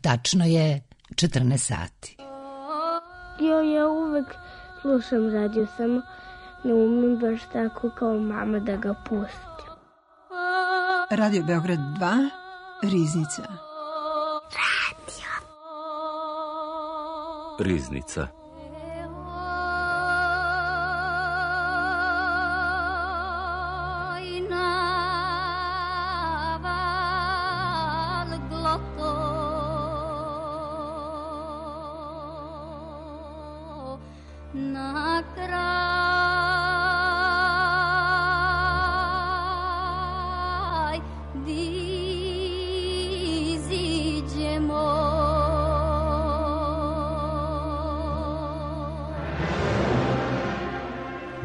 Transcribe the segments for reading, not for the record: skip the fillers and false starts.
Tačno je 14 sati. Ja uvek slušam radio, samo ne umem baš tako kao mama da ga pustim. Radio Beograd 2, Riznica. Riznica.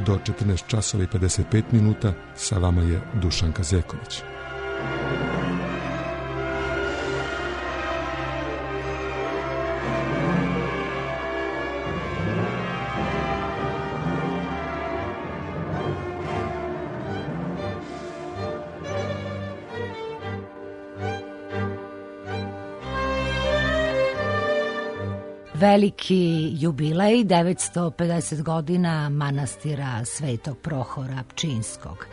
Do 14 časova i 55 minuta sa vama je Dušanka Zeković. Veliki jubilej, 950 godina manastira Svetog Prohora Pčinjskog.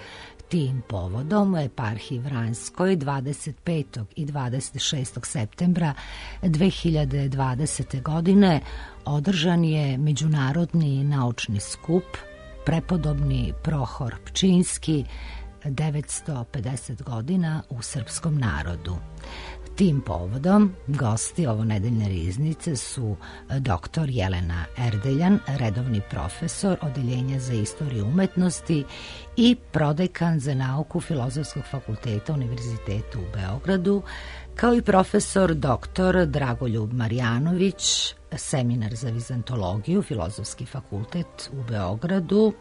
Tim povodom u eparhiji Vranjskoj 25. i 26. septembra 2020. godine održan je međunarodni naučni skup Prepodobni Prohor Pčinjski, 950 godina u srpskom narodu. Tim povodom gosti ovonedeljne riznice su dr. Jelena Erdeljan, redovni profesor Odeljenja za istoriju umetnosti i prodekan za nauku Filozofskog fakulteta Univerziteta u Beogradu, kao i profesor dr. Dragoljub Marjanović, seminar za vizantologiju, Filozofski fakultet u Beogradu,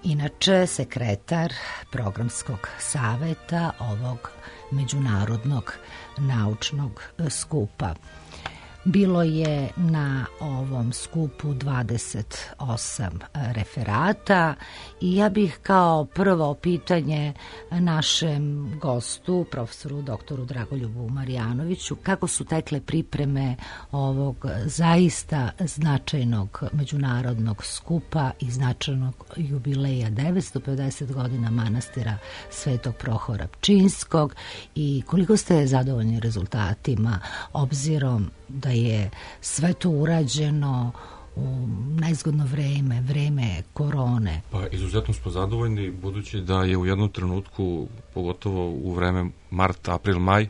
inače sekretar programskog saveta ovog međunarodnog naučnog skupa. Bilo je na ovom skupu 28 referata i ja bih kao prvo pitanje našem gostu, profesoru doktoru Dragoljubu Marjanoviću, kako su tekle pripreme ovog zaista značajnog međunarodnog skupa i značajnog jubileja 950 godina manastira Svetog Prohora Pčinjskog i koliko ste zadovoljni rezultatima, obzirom da je sve to urađeno u najzgodno vreme korone? Pa izuzetno smo zadovoljni, budući da je u jednom trenutku, pogotovo u vreme mart, april, maj,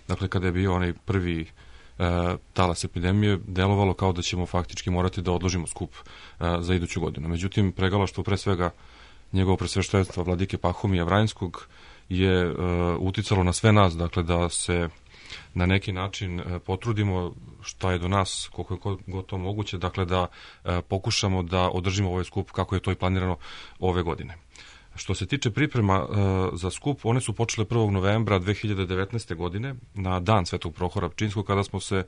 dakle kada je bio onaj prvi talas epidemije, delovalo kao da ćemo faktički morati da odložimo skup za iduću godinu. Međutim, pregalaštvo pre svega njegovo presveštenstva vladike Pahomija Vranjskog je uticalo na sve nas, dakle da se na neki način potrudimo šta je do nas, koliko je god to moguće, dakle da pokušamo da održimo ovaj skup kako je to i planirano ove godine. Što se tiče priprema za skup, one su počele 1. novembra 2019. godine, na dan Svetog Prohora Pčinjskog, kada smo se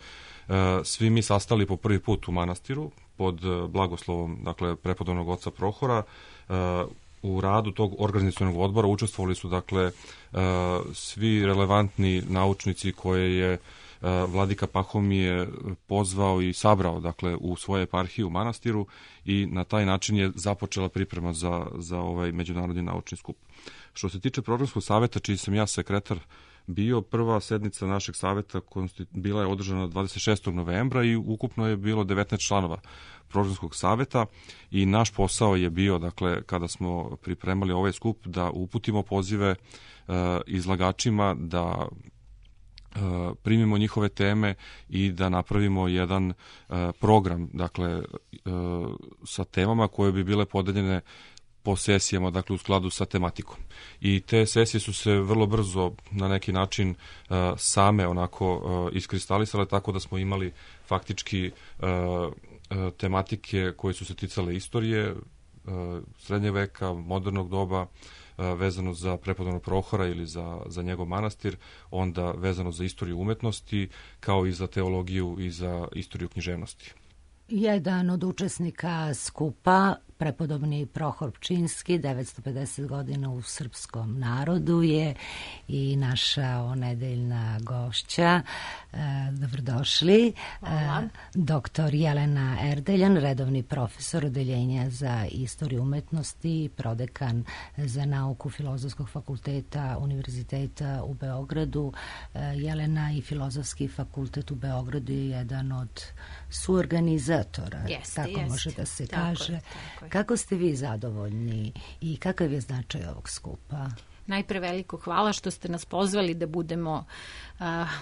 svi mi sastali po prvi put u manastiru pod blagoslovom, dakle, prepodobnog oca Prohora. U radu tog organizacionog odbora učestvovali su, dakle, svi relevantni naučnici koje je vladika Pahomije pozvao i sabrao, dakle, u svoje eparhije u manastiru, i na taj način je započela priprema za ovaj međunarodni naučni skup. Što se tiče programskog saveta, čiji sam ja sekretar bio, prva sednica našeg saveta bila je održana 26. novembra i ukupno je bilo 19 članova programskog saveta i naš posao je bio, dakle, kada smo pripremali ovaj skup, da uputimo pozive izlagačima, da primimo njihove teme i da napravimo jedan program, dakle, sa temama koje bi bile podeljene po sesijama, dakle, u skladu sa tematikom. I te sesije su se vrlo brzo na neki način same onako iskristalisale, tako da smo imali faktički tematike koje su se ticale istorije, srednje veka, modernog doba, vezano za prepodobnog Prohora ili za njegov manastir, onda vezano za istoriju umetnosti, kao i za teologiju i za istoriju književnosti. Jedan od učesnika skupa, prepodobni Prohor Pčinjski, 950 godina u srpskom narodu je i naša onedeljna gošća. Dobrodošli. Doktor Jelena Erdeljan, redovni profesor Odeljenja za istoriju umetnosti i prodekan za nauku Filozofskog fakulteta Univerziteta u Beogradu. Jelena i Filozofski fakultet u Beogradu je jedan od suorganizatora, tako može da se kaže. Kako ste vi zadovoljni i kakav je značaj ovog skupa? Najpre veliko hvala što ste nas pozvali da budemo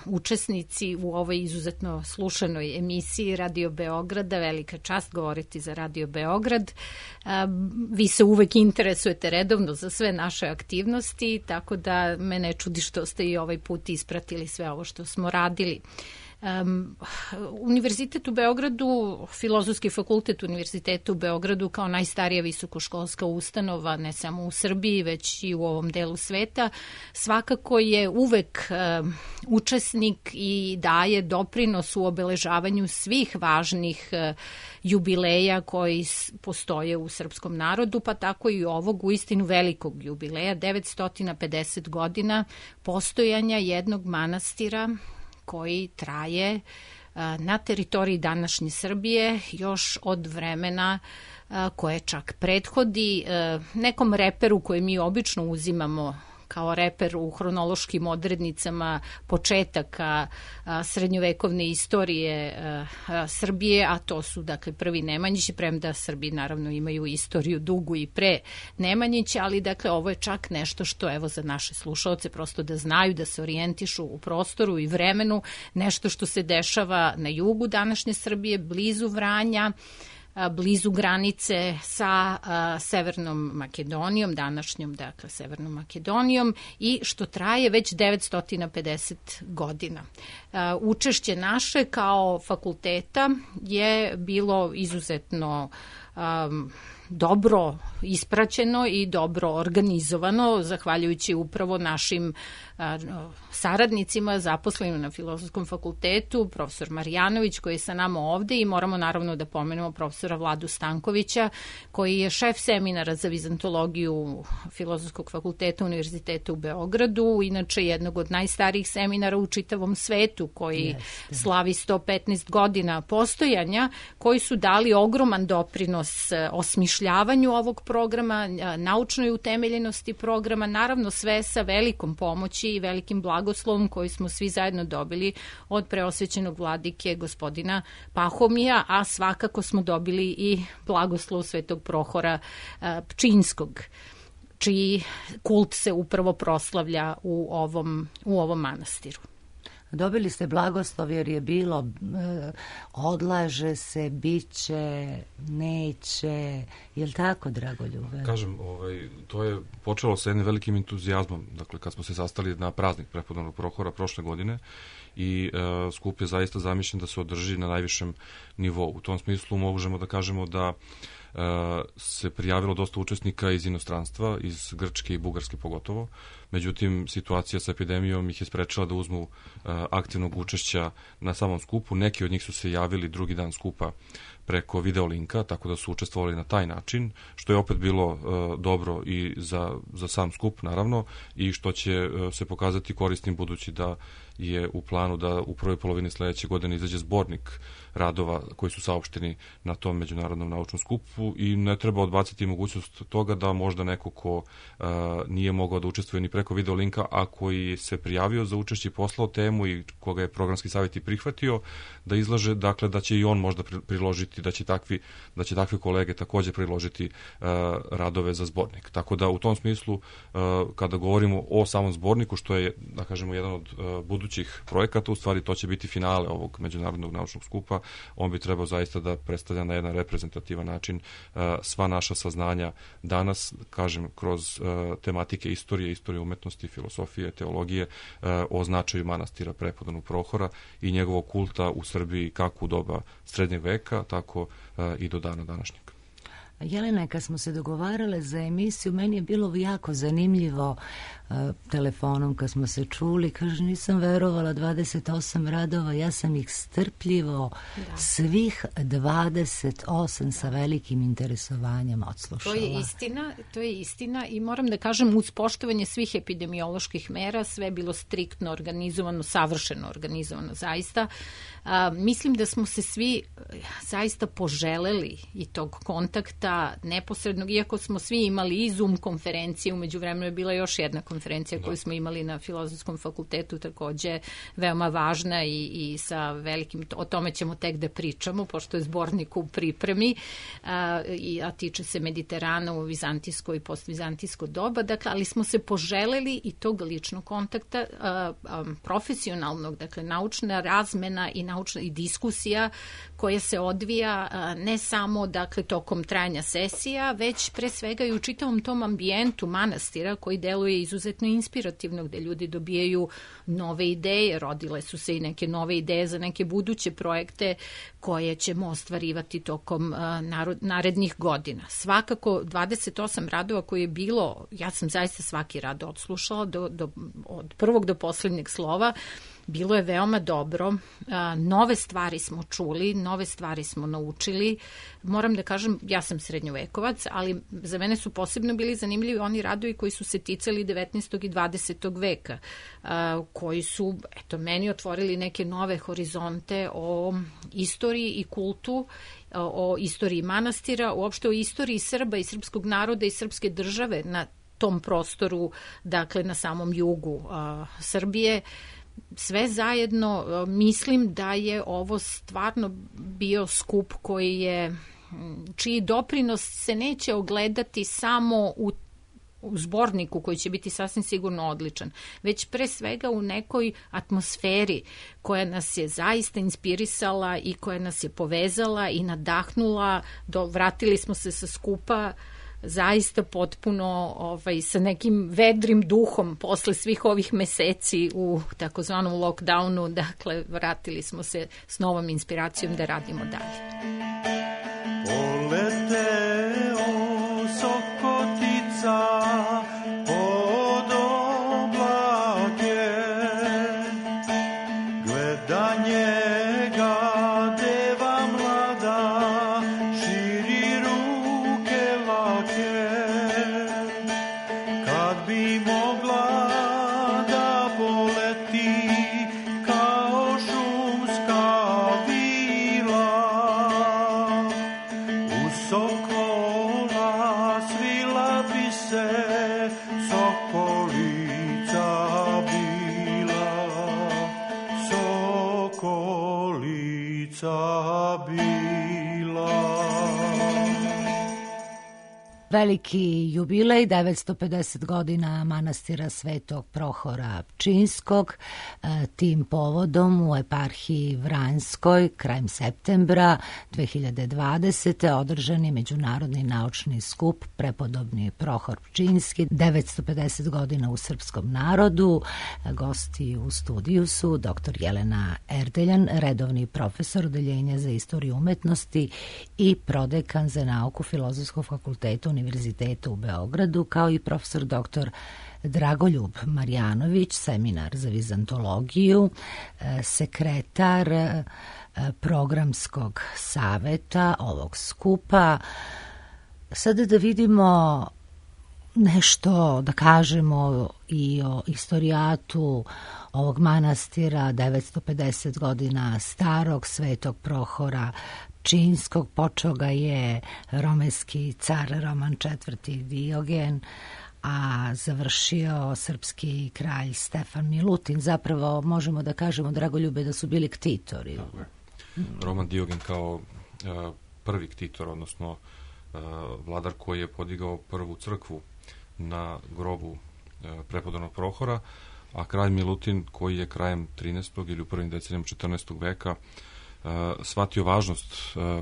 učesnici u ovoj izuzetno slušanoj emisiji Radio Beograda. Velika čast govoriti za Radio Beograd. Vi se uvek interesujete redovno za sve naše aktivnosti, tako da me ne čudi što ste i ovaj put ispratili sve ovo što smo radili. Univerzitet u Beogradu, Filozofski fakultet Univerziteta u Beogradu kao najstarija visokoškolska ustanova, ne samo u Srbiji, već i u ovom delu sveta, svakako je uvek učesnik i daje doprinos u obeležavanju svih važnih jubileja koji postoje u srpskom narodu, pa tako i ovog uistinu velikog jubileja, 950 godina postojanja jednog manastira koji traje na teritoriji današnje Srbije još od vremena koje čak prethodi nekom reperu koje mi obično uzimamo kao reper u hronološkim odrednicama početaka srednjovekovne istorije Srbije, a to su dakle prvi Nemanjići, premda Srbi naravno imaju istoriju dugu i pre Nemanjića, ali dakle ovo je čak nešto što evo za naše slušaoce prosto da znaju, da se orijentišu u prostoru i vremenu, nešto što se dešava na jugu današnje Srbije, blizu Vranja, blizu granice sa Severnom Makedonijom, današnjom, dakle, Severnom Makedonijom i što traje već 950 godina. Učešće naše kao fakulteta je bilo izuzetno dobro ispraćeno i dobro organizovano, zahvaljujući upravo našim saradnicima zaposlenim na Filozofskom fakultetu, profesor Marjanović koji je sa nama ovde i moramo naravno da pomenemo profesora Vladu Stankovića koji je šef seminara za vizantologiju Filozofskog fakulteta Univerziteta u Beogradu, inače jednog od najstarijih seminara u čitavom svetu koji slavi 115 godina postojanja, koji su dali ogroman doprinos osmišljavanju ovog programa, naučnoj utemeljenosti programa, naravno sve sa velikom pomoći i velikim blagoslovom koji smo svi zajedno dobili od preosvećenog vladike gospodina Pahomija, a svakako smo dobili i blagoslov Svetog Prohora Pčinjskog, čiji kult se upravo proslavlja u ovom manastiru. Dobili ste blagoslov jer je bilo odlaže se, biće, neće, je li tako, Dragoljube? Kažem, to je počelo sa jednim velikim entuzijazmom, dakle kad smo se sastali na praznik prepodobnog Prohora prošle godine i skup je zaista zamišljen da se održi na najvišem nivou. U tom smislu možemo da kažemo da se prijavilo dosta učesnika iz inostranstva, iz Grčke i Bugarske pogotovo. Međutim, situacija sa epidemijom ih je sprečila da uzmu aktivnog učešća na samom skupu. Neki od njih su se javili drugi dan skupa preko videolinka, tako da su učestvovali na taj način, što je opet bilo dobro i za sam skup, naravno, i što će se pokazati korisnim budući da je u planu da u prvoj polovini sledeće godine izađe zbornik radova koji su saopšteni na tom međunarodnom naučnom skupu i ne treba odbaciti mogućnost toga da možda neko ko nije mogao da učestvuje ni preko videolinka, a koji se prijavio za učešće i poslao temu i koga je programski savjet i prihvatio, da izlaže, dakle da će i on možda priložiti, da će takvi kolege takođe priložiti radove za zbornik. Tako da u tom smislu, kada govorimo o samom zborniku, što je, da kažemo, jedan od budućih projekata, u stvari to će biti finale ovog međunarodnog naučnog skupa, on bi trebao zaista da predstavlja na jedan reprezentativan način sva naša saznanja danas, kažem, kroz tematike istorije umetnosti, filosofije, teologije, o značaju manastira prepodobnog Prohora i njegovog kulta u Srbiji kako u doba srednjeg veka, tako i do dana današnjeg. Jelena, kad smo se dogovarale za emisiju, meni je bilo jako zanimljivo telefonom kad smo se čuli, kaže, nisam verovala, 28 radova, ja sam ih strpljivo svih 28 sa velikim interesovanjem odslušala. To je istina i moram da kažem, uz poštovanje svih epidemioloških mera, sve je bilo striktno organizovano, savršeno organizovano, zaista. Mislim da smo se svi zaista poželeli i tog kontakta neposrednog, iako smo svi imali i Zoom konferencije, umeđu vremenu je bila još jedna konferencija koju smo imali na Filozofskom fakultetu, takođe veoma važna i sa velikim, o tome ćemo tek da pričamo, pošto je zbornik u pripremi, a tiče se Mediterana u vizantijsko i postvizantijsko doba, dakle, ali smo se poželeli i tog ličnog kontakta, profesionalnog, dakle, naučna razmena i diskusija koja se odvija ne samo, dakle, tokom trajanja sesija, već pre svega i u čitavom tom ambijentu manastira koji deluje izuzetno inspirativno, gde ljudi dobijaju nove ideje, rodile su se i neke nove ideje za neke buduće projekte koje ćemo ostvarivati tokom narednih godina. Svakako 28 radova koje je bilo, ja sam zaista svaki rad odslušala od prvog do poslednjeg slova. Bilo je veoma dobro, nove stvari smo čuli, nove stvari smo naučili. Moram da kažem, ja sam srednjovekovac, ali za mene su posebno bili zanimljivi oni radovi koji su se ticali 19. i 20. veka, koji su, meni otvorili neke nove horizonte o istoriji i kultu, o istoriji manastira, uopšte o istoriji Srba i srpskog naroda i srpske države na tom prostoru, dakle na samom jugu Srbije. Sve zajedno mislim da je ovo stvarno bio skup čiji doprinos se neće ogledati samo u zborniku koji će biti sasvim sigurno odličan, već pre svega u nekoj atmosferi koja nas je zaista inspirisala i koja nas je povezala i nadahnula. Vratili smo se sa skupa zaista potpuno sa nekim vedrim duhom posle svih ovih meseci u takozvanom lockdownu, dakle vratili smo se s novom inspiracijom da radimo dalje. Poleteo sokotica pod oblake, gleda njega deva mlada, širi ruke lake, kad bi mogla da poleti kao šumska vila, u sokola svila bi se sokolica bila, sokolica bila. Veliki jubilej, 950 godina manastira Svetog Prohora Pčinjskog. Tim povodom u eparhiji Vranjskoj krajem septembra 2020. održan je Međunarodni naučni skup Prepodobni Prohor Pčinjski, 950 godina u srpskom narodu. Gosti u studiju su dr. Jelena Erdeljan, redovni profesor Odeljenja za istoriju umetnosti i prodekan za nauku Filozofskog fakulteta Univerziteta u Beogradu, kao i profesor dr. Dragoljub Marjanović, seminar za vizantologiju, sekretar programskog saveta ovog skupa. Sada da vidimo nešto, da kažemo i o istorijatu ovog manastira 950 godina starog Svetog Prohora Pčinjskog. Počeo ga je romejski car Roman IV. Diogen, a završio srpski kralj Stefan Milutin. Zapravo možemo da kažemo, Dragoljube, da su bili ktitori. Roman Diogen kao prvi ktitor, odnosno vladar koji je podigao prvu crkvu na grobu prepodobnog Prohora, a kralj Milutin koji je krajem 13. ili u prvim decenijama 14. veka shvatio važnost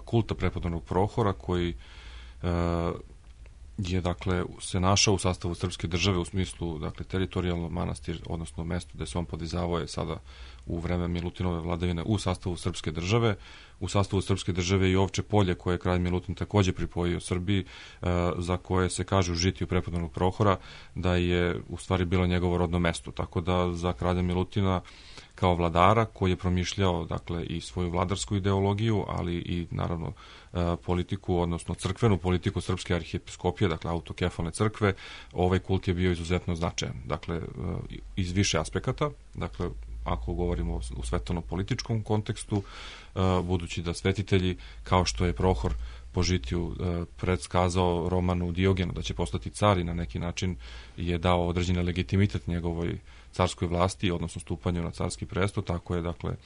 kulta prepodobnog Prohora koji je, dakle, se našao u sastavu srpske države u smislu, dakle, teritorijalno manastir, odnosno mesto gde se on podizavao je sada u vreme Milutinove vladavine u sastavu srpske države u sastavu srpske države i Ovče Polje, koje je kralj Milutin takođe pripojio Srbiji, za koje se kaže u žitiju prepodobnog Prohora da je u stvari bilo njegovo rodno mesto. Tako da za kralja Milutina kao vladara koji je promišljao dakle i svoju vladarsku ideologiju, ali i naravno politiku, odnosno crkvenu politiku srpske arhiepiskopije, dakle autokefalne crkve, ovaj kult je bio izuzetno značajan. Dakle, iz više aspekata, dakle, ako govorimo u svetovno-političkom kontekstu, budući da svetitelji, kao što je Prohor po žitiju predskazao Romanu Diogenu da će postati car i na neki način je dao određeni legitimitet njegovoj carskoj vlasti, odnosno stupanju na carski presto, tako je, dakle,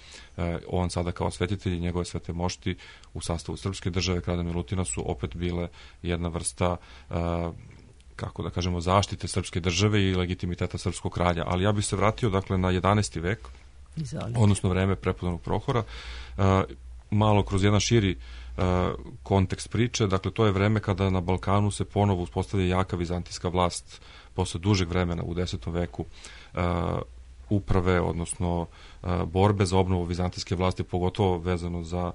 on sada kao svetitelj i njegove svete mošti u sastavu srpske države kralja Milutina su opet bile jedna vrsta kako da kažemo, zaštite srpske države i legitimiteta srpskog kralja. Ali ja bih se vratio, dakle, na 11. vek, odnosno vreme prepodobnog Prohora, malo kroz jedan širi kontekst priče. Dakle, to je vreme kada na Balkanu se ponovo uspostavlja jaka vizantijska vlast posle dužeg vremena u 10. veku uprave, odnosno borbe za obnovu vizantijske vlasti, pogotovo vezano za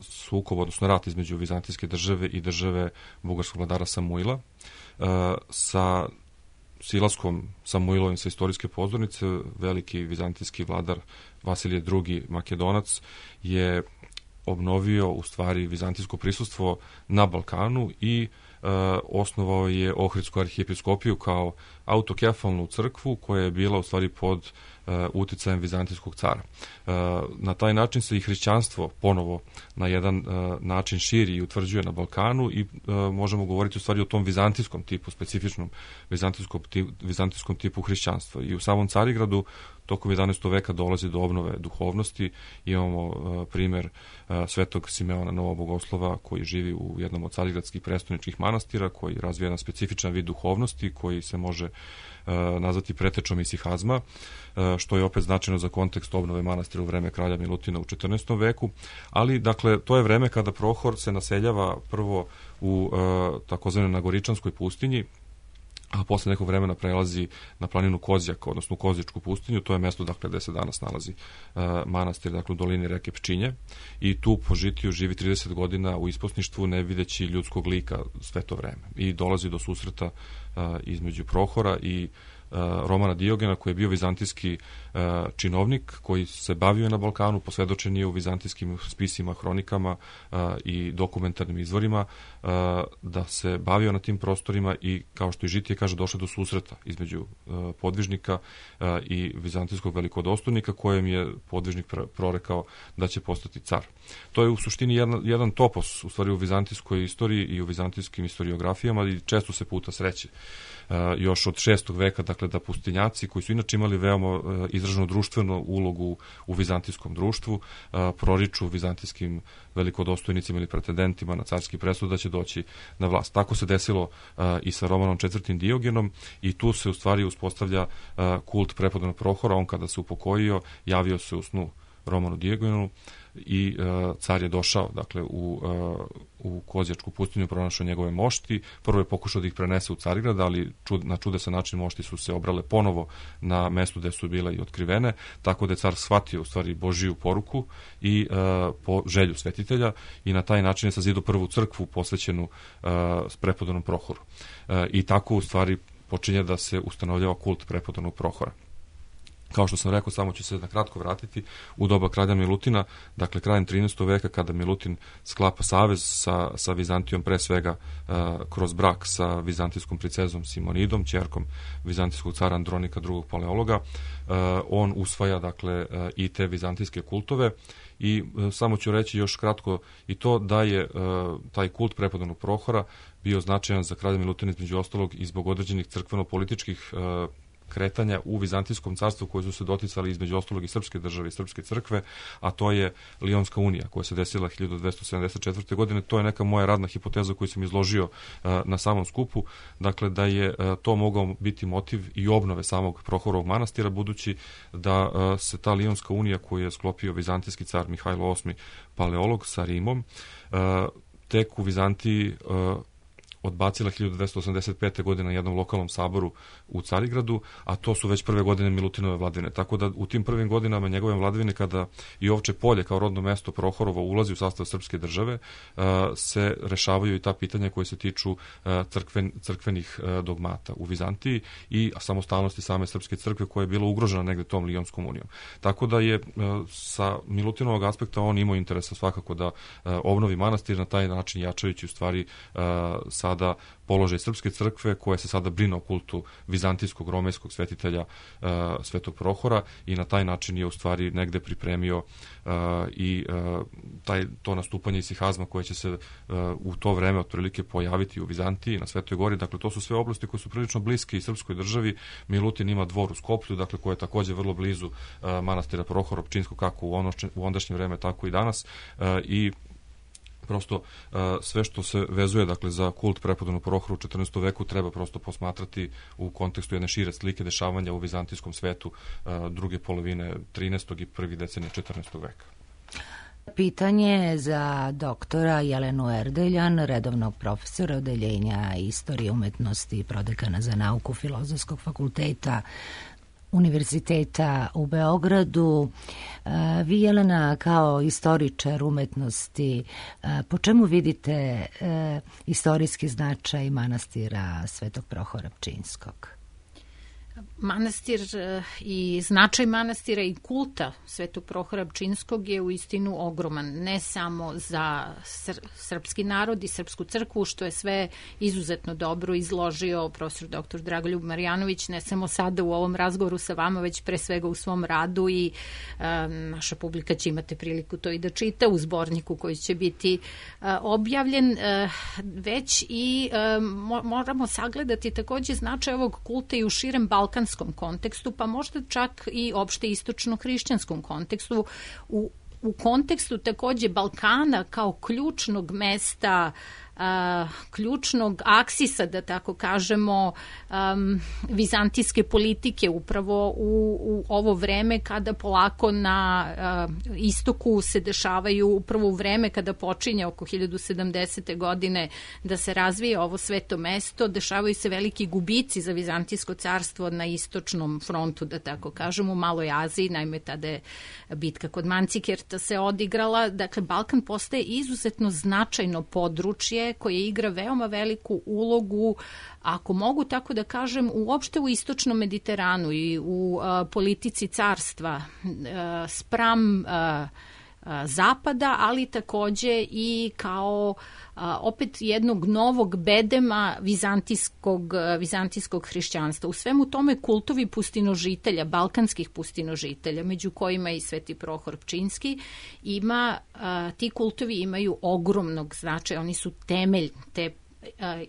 sukob, odnosno rat između vizantijske države i države bugarskog vladara Samuila. Sa silaskom Samuilovim sa istorijske pozornice, veliki vizantijski vladar Vasilije II. Makedonac je obnovio u stvari vizantijsko prisustvo na Balkanu i osnovao je Ohridsku arhiepiskopiju kao autokefalnu crkvu koja je bila u stvari pod uticajem vizantijskog cara. Na taj način se i hrišćanstvo ponovo na jedan način širi i utvrđuje na Balkanu i možemo govoriti u stvari o tom vizantijskom tipu, specifičnom vizantijskom tipu hrišćanstva. I u samom Carigradu tokom 11. veka dolazi do obnove duhovnosti. Imamo primer svetog Simeona Novobogoslova koji živi u jednom od carigradskih prestoničkih manastira, koji razvija jedan specifičan vid duhovnosti koji se može nazvati pretečom isihazma, što je opet značajno za kontekst obnove manastira u vreme kralja Milutina u 14. veku. Ali, dakle, to je vreme kada Prohor se naseljava prvo u takozvanoj Nagoričanskoj pustinji, a posle nekog vremena prelazi na planinu Kozjak, odnosno Kozjičku pustinju. To je mesto, dakle, gde se danas nalazi manastir, dakle, u dolini reke Pčinje, i tu po žitiju živi 30 godina u isposništvu, ne videći ljudskog lika sve to vreme. I dolazi do susreta između Prohora i Romana Diogena, koji je bio vizantijski činovnik, koji se bavio na Balkanu, posvedočen je u vizantijskim spisima, hronikama i dokumentarnim izvorima, da se bavio na tim prostorima i, kao što i žitije kaže, došlo do susreta između podvižnika i vizantijskog velikodostojnika, kojem je podvižnik prorekao da će postati car. To je u suštini jedan topos, u stvari, u vizantijskoj istoriji i u vizantijskim historiografijama, i često se puta sreće još od 6. veka, dakle, da pustinjaci, koji su inače imali veoma izraženu društvenu ulogu u vizantijskom društvu, proriču vizantijskim velikodostojnicima ili pretendentima na carski presto da će doći na vlast. Tako se desilo i sa Romanom IV. Diogenom, i tu se u stvari uspostavlja kult prepodobnog Prohora. On, kada se upokojio, javio se u snu Romanu Diogenu i car je došao, dakle, u Kozjačku pustinju, pronašao njegove mošti. Prvo je pokušao da ih prenese u Carigrad, ali na čudesan način mošti su se obrale ponovo na mestu gde su bile i otkrivene, tako da je car shvatio u stvari Božiju poruku i po želju svetitelja, i na taj način je sazidao prvu crkvu posvećenu prepodobnom Prohoru. I tako u stvari počinje da se ustanovljava kult prepodobnog Prohora. Kao što sam rekao, samo ću se na kratko vratiti u doba kralja Milutina, dakle krajem 13. veka, kada Milutin sklapa savez sa Vizantijom, pre svega kroz brak sa vizantijskom princezom Simonidom, ćerkom vizantijskog cara Andronika II. Paleologa, on usvaja, dakle, i te vizantijske kultove. I samo ću reći još kratko i to da je taj kult prepodobnog Prohora bio značajan za kralja Milutina, između ostalog, i zbog određenih crkveno-političkih kretanja u Vizantijskom carstvu koji su se doticali između ostalog i srpske države i srpske crkve, a to je Lionska unija koja se desila 1274. godine. To je neka moja radna hipoteza koju sam izložio na samom skupu, dakle, da je to mogao biti motiv i obnove samog Prohorovog manastira, budući da se ta Lionska unija koju je sklopio vizantijski car Mihajlo VIII Paleolog sa Rimom, tek u Vizantiji odbacila 1285. godine na jednom lokalnom saboru u Carigradu, a to su već prve godine Milutinove vladavine. Tako da u tim prvim godinama njegove vladavine, kada i Ovče Polje kao rodno mesto Prohorovo ulazi u sastav srpske države, se rešavaju i ta pitanja koje se tiču crkvenih dogmata u Vizantiji i samostalnosti same srpske crkve koja je bila ugrožena negde tom Lijonskom unijom. Tako da je sa Milutinovog aspekta on imao interesa svakako da obnovi manastir, na taj način jačajući u stvari sada položaj srpske crkve koja se sada brine o kultu vizantijskog romejskog svetitelja Svetog Prohora i na taj način je u stvari negde pripremio i to nastupanje isihazma koje će se u to vreme otprilike pojaviti u Vizantiji, na Svetoj Gori. Dakle, to su sve oblasti koje su prilično bliske i srpskoj državi. Milutin ima dvor u Skoplju, dakle, koje je takođe vrlo blizu manastira Prohora Pčinskog, kako u ondašnje vreme, tako i danas. I prosto sve što se vezuje, dakle, za kult prepodobnog Prohora u 14. veku treba prosto posmatrati u kontekstu jedne šire slike dešavanja u vizantijskom svetu druge polovine 13. i prvi decenije 14. veka. Pitanje za doktora Jelenu Erdeljan, redovnog profesora odeljenja istorije umetnosti i prodekana za nauku Filozofskog fakulteta Univerziteta u Beogradu. Vi, Jelena, kao istoričar umetnosti, po čemu vidite istorijski značaj manastira Svetog Prohora Pčinskog? Manastir i značaj manastira i kulta Svetog Prohora Pčinskog je u istinu ogroman, ne samo za srpski narod i srpsku crkvu, što je sve izuzetno dobro izložio profesor dr. Dragoljub Marjanović, ne samo sada u ovom razgovoru sa vama, već pre svega u svom radu i naša publika će imati priliku to i da čita u zborniku koji će biti objavljen, već i moramo sagledati takođe značaj ovog kulta i u širem balkanskom kontekstu, pa možda čak i opšte istočno-hrišćanskom kontekstu, u kontekstu takođe Balkana kao ključnog mesta, ključnog aksisa, da tako kažemo, vizantijske politike upravo u ovo vreme kada polako na istoku se dešavaju, upravo u vreme kada počinje oko 1070. godine da se razvije ovo sveto mesto, dešavaju se veliki gubici za Vizantijsko carstvo na istočnom frontu, da tako kažemo, u Maloj Aziji, naime tada je bitka kod Mancikerta se odigrala. Dakle, Balkan postaje izuzetno značajno područje koje igra veoma veliku ulogu, ako mogu tako da kažem, uopšte u istočnom Mediteranu i u politici carstva spram zapada, ali takođe i kao opet jednog novog bedema vizantijskog hrišćanstva. U svemu tome kultovi pustinožitelja, balkanskih pustinožitelja, među kojima i Sveti Prohor Pčinski, ti kultovi imaju ogromnog značaja, oni su temelj te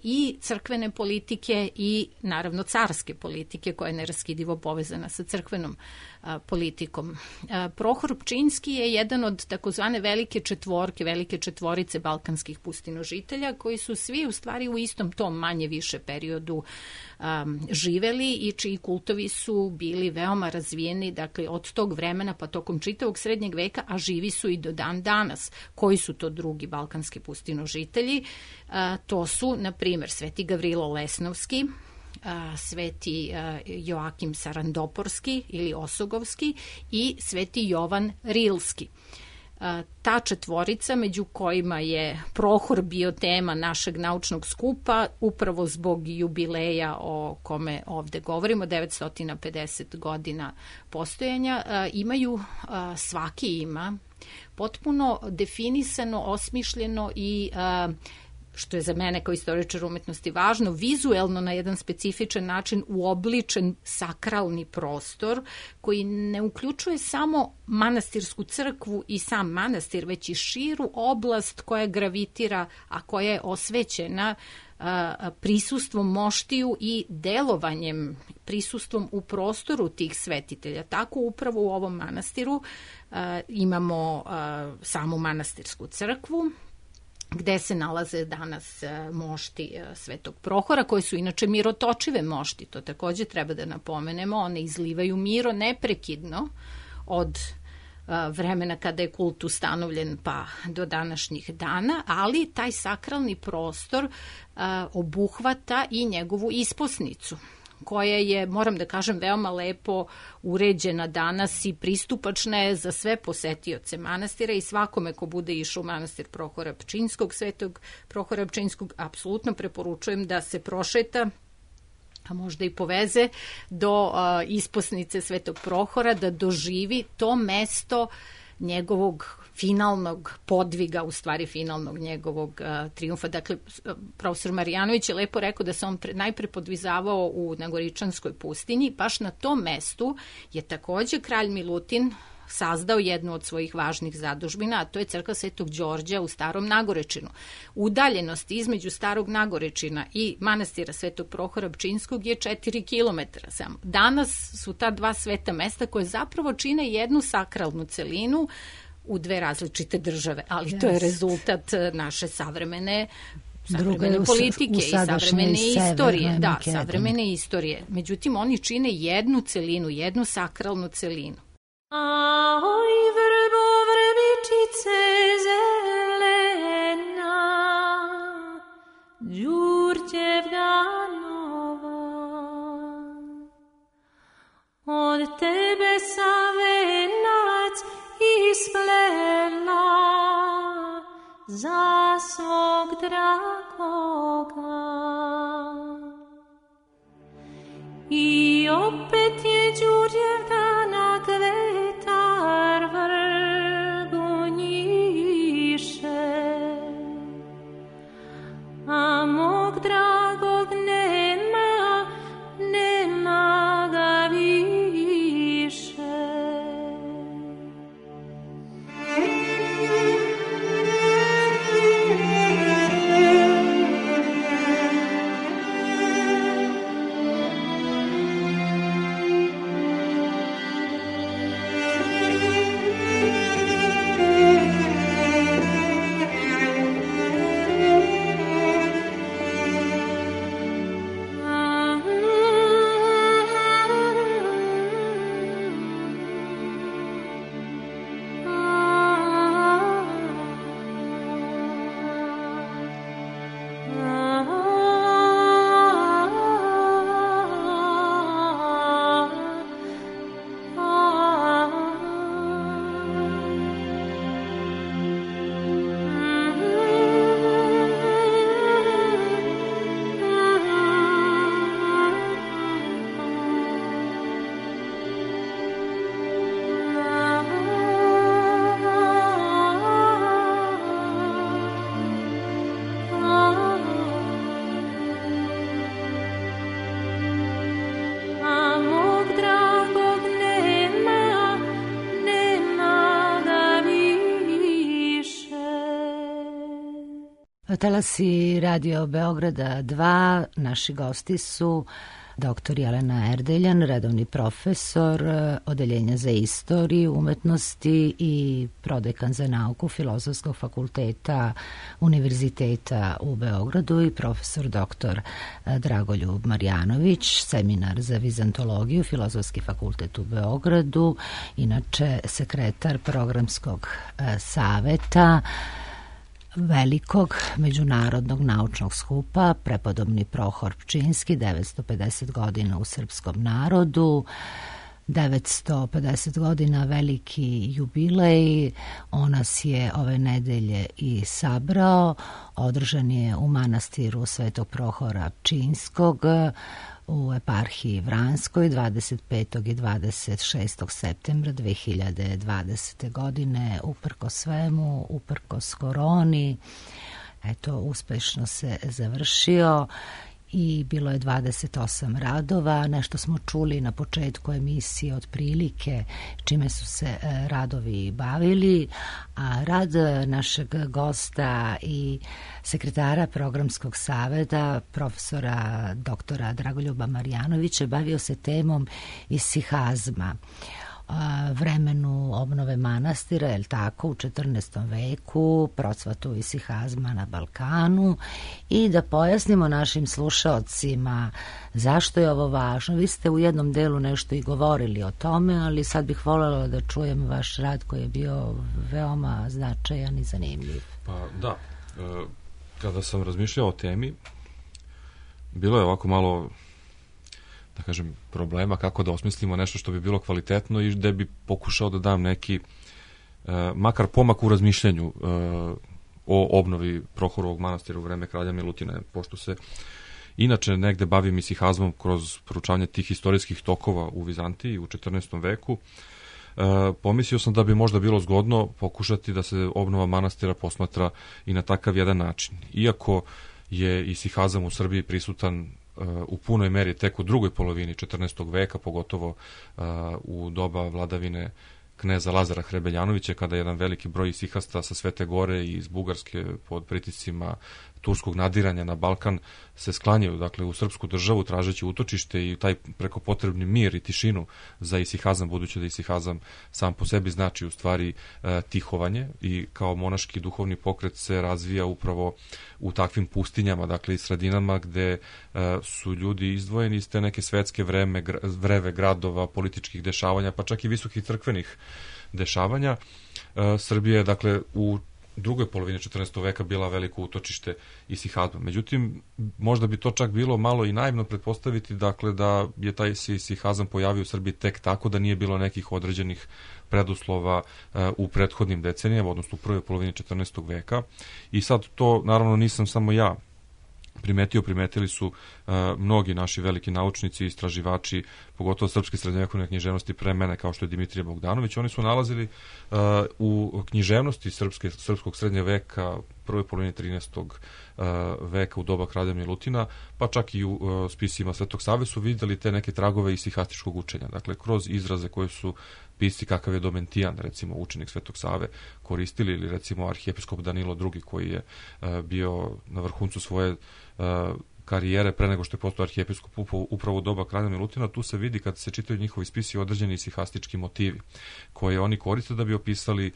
i crkvene politike i naravno carske politike koja je neraskidivo povezana sa crkvenom politikom. Prohor Pčinski je jedan od takozvane velike četvorice balkanskih pustinožitelja koji su svi u stvari u istom tom manje više periodu živeli i čiji kultovi su bili veoma razvijeni, dakle od tog vremena pa tokom čitavog srednjeg veka, a živi su i do dan danas. Koji su to drugi balkanski pustinožitelji? To su, na primjer, Sveti Gavrilo Lesnovski, Sveti Joakim Sarandoporski ili Osogovski i Sveti Jovan Rilski. Ta četvorica, među kojima je Prohor bio tema našeg naučnog skupa, upravo zbog jubileja o kome ovde govorimo, 950 godina postojanja, svaki ima potpuno definisano, osmišljeno i što je za mene kao istoričar umetnosti važno, vizuelno na jedan specifičan način uobličen sakralni prostor koji ne uključuje samo manastirsku crkvu i sam manastir, već i širu oblast koja gravitira, a koja je osvećena prisustvom moštiju i delovanjem, prisustvom u prostoru tih svetitelja. Tako upravo u ovom manastiru imamo samu manastirsku crkvu, gde se nalaze danas mošti Svetog Prohora, koje su inače mirotočive mošti. To takođe treba da napomenemo. One izlivaju miro neprekidno od vremena kada je kult ustanovljen pa do današnjih dana, ali taj sakralni prostor obuhvata i njegovu isposnicu, koja je, moram da kažem, veoma lepo uređena danas i pristupačna je za sve posetioce manastira i svakome ko bude išao u manastir Prohora Pčinjskog, Svetog Prohora Pčinjskog, apsolutno preporučujem da se prošeta, a možda i poveze do isposnice Svetog Prohora, da doživi to mesto njegovog finalnog podviga, u stvari finalnog njegovog trijumfa. Dakle, profesor Marjanović je lepo rekao da se on najpre podvizavao u Nagoričanskoj pustinji. Baš na tom mestu je takođe kralj Milutin sazdao jednu od svojih važnih zadužbina, a to je crkva Svetog Đorđa u Starom Nagorečinu. Udaljenost između Starog Nagorečina i manastira Svetog Prohora Pčinjskog je 4 kilometra samo. Danas su ta dva sveta mesta koje zapravo čine jednu sakralnu celinu u dve različite države, ali to je rezultat naše savremene politike i savremene istorije. Da, savremene istorije. Međutim, oni čine jednu celinu, jednu sakralnu celinu. Oj, vrbo, vrbičice zelena, Đurđevna nova, od tebe sam venac isplela za svog dragoga. I opet je Đurđevdana kvetar vrbu njiše, a mog dragog nema, nema ga više. Talasi Radio Beograda 2, naši gosti su dr. Jelena Erdeljan, redovni profesor Odeljenja za istoriju umetnosti i prodekan za nauku Filozofskog fakulteta Univerziteta u Beogradu i profesor dr. Dragoljub Marjanović, seminar za vizantologiju, Filozofski fakultet u Beogradu, inače sekretar programskog saveta velikog međunarodnog naučnog skupa Prepodobni Prohor Pčinjski, 950 godina u srpskom narodu, 950 godina veliki jubilej. On nas je ove nedelje i sabrao. Održan je u manastiru Svetog Prohora Pčinjskog u eparhiji Vranskoj 25. i 26. septembra 2020. godine. Uprkos svemu, uprkos koroni, eto, uspešno se završio i bilo je 28 radova. Nešto smo čuli na početku emisije otprilike čime su se radovi bavili, a rad našeg gosta i sekretara programskog saveta, profesora doktora Dragoljuba Marjanovića, bavio se temom isihazma. vremenu obnove manastira, je li tako, u 14. veku, procvatu isihazma na Balkanu, i da pojasnimo našim slušaocima zašto je ovo važno. Vi ste u jednom delu nešto i govorili o tome, ali sad bih voljela da čujem vaš rad koji je bio veoma značajan i zanimljiv. Pa da, kada sam razmišljao o temi, bilo je ovako malo, da kažem, problema kako da osmislimo nešto što bi bilo kvalitetno i da bi pokušao da dam neki makar pomak u razmišljanju o obnovi Prohorovog manastira u vreme kralja Milutina, pošto se inače negde bavim isihazmom kroz proučavanje tih istorijskih tokova u Vizantiji u 14. veku. Pomislio sam da bi možda bilo zgodno pokušati da se obnova manastira posmatra i na takav jedan način. Iako je isihazam u Srbiji prisutan u punoj meri tek u drugoj polovini 14. veka, pogotovo u doba vladavine kneza Lazara Hrebeljanovića, kada jedan veliki broj isihasta sa Svete Gore i iz Bugarske pod pritiscima turskog nadiranja na Balkan se sklanjaju, dakle, u srpsku državu tražeći utočište i taj preko potrebni mir i tišinu za isihazam, budući da isihazam sam po sebi znači u stvari tihovanje i kao monaški duhovni pokret se razvija upravo u takvim pustinjama, dakle i sredinama gde su ljudi izdvojeni iz te neke svetske vreve gradova, političkih dešavanja, pa čak i visokih crkvenih dešavanja. Srbija je, dakle, u drugoj polovini 14. veka bila veliko utočište isihazma. Međutim, možda bi to čak bilo malo i naivno pretpostaviti, dakle, da je taj isihazam pojavio u Srbiji tek tako, da nije bilo nekih određenih preduslova u prethodnim decenijama, odnosno u prvoj polovini 14. veka. I sad to, naravno, nisam samo ja primetili su mnogi naši veliki naučnici i istraživači, pogotovo srpske srednjovekovne književnosti pre mene, kao što je Dimitrije Bogdanović. Oni su nalazili u književnosti srpskog srednje veka, prvoj polovini 13. veka u doba kralja Milutina, pa čak i u spisima Svetog Save su vidjeli te neke tragove isihastičkog učenja. Dakle, kroz izraze koje su pisci kakav je Domentijan, recimo učenik Svetog Save, koristili, ili recimo arhijepiskop Danilo II, koji je bio na vrhuncu svoje karijere pre nego što je postao arhijepiskop upravo u doba kralja Milutina. Tu se vidi, kad se čitaju njihovi spisi, određeni isihastički motivi koje oni koriste da bi opisali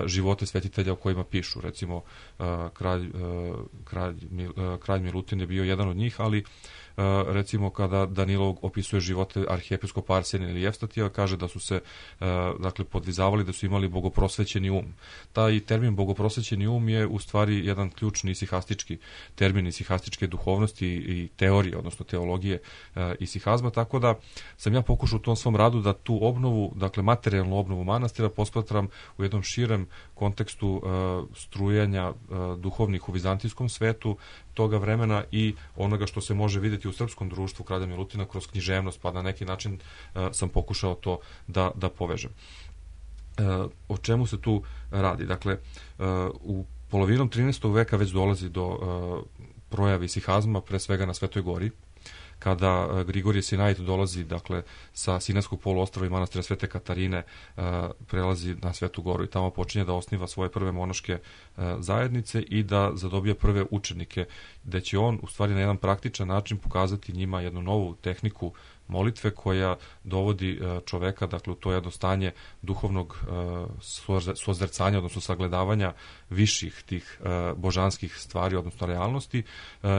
živote svetitelja o kojima pišu. Recimo, kralj Milutin je bio jedan od njih, ali recimo kada Danilo opisuje živote arhijepiskopa Arsenija ili Evstatija, kaže da su se dakle podvizavali, da su imali bogoprosvećeni um. Taj termin bogoprosvećeni um je u stvari jedan ključni isihastički termin isihastičke duhovnosti i teorije, odnosno teologije isihazma, tako da sam ja pokušao u tom svom radu da tu obnovu, dakle materijalnu obnovu manastira, posmatram u jednom širem kontekstu strujanja duhovnih u vizantijskom svetu toga vremena i onoga što se može vidjeti u srpskom društvu kralja Milutina kroz književnost, pa na neki način sam pokušao to da povežem. O čemu se tu radi? Dakle, u polovinom 13. veka već dolazi do projave isihazma, pre svega na Svetoj Gori, kada Grigorije Sinait dolazi, dakle, sa Sinajskog poluostrva i manastira Svete Katarine, prelazi na Svetu Goru i tamo počinje da osniva svoje prve monaške zajednice i da zadobija prve učenike, gde će on u stvari na jedan praktičan način pokazati njima jednu novu tehniku molitve koja dovodi čoveka, dakle, u to jedno stanje duhovnog sozercanja, odnosno sagledavanja viših tih božanskih stvari, odnosno realnosti,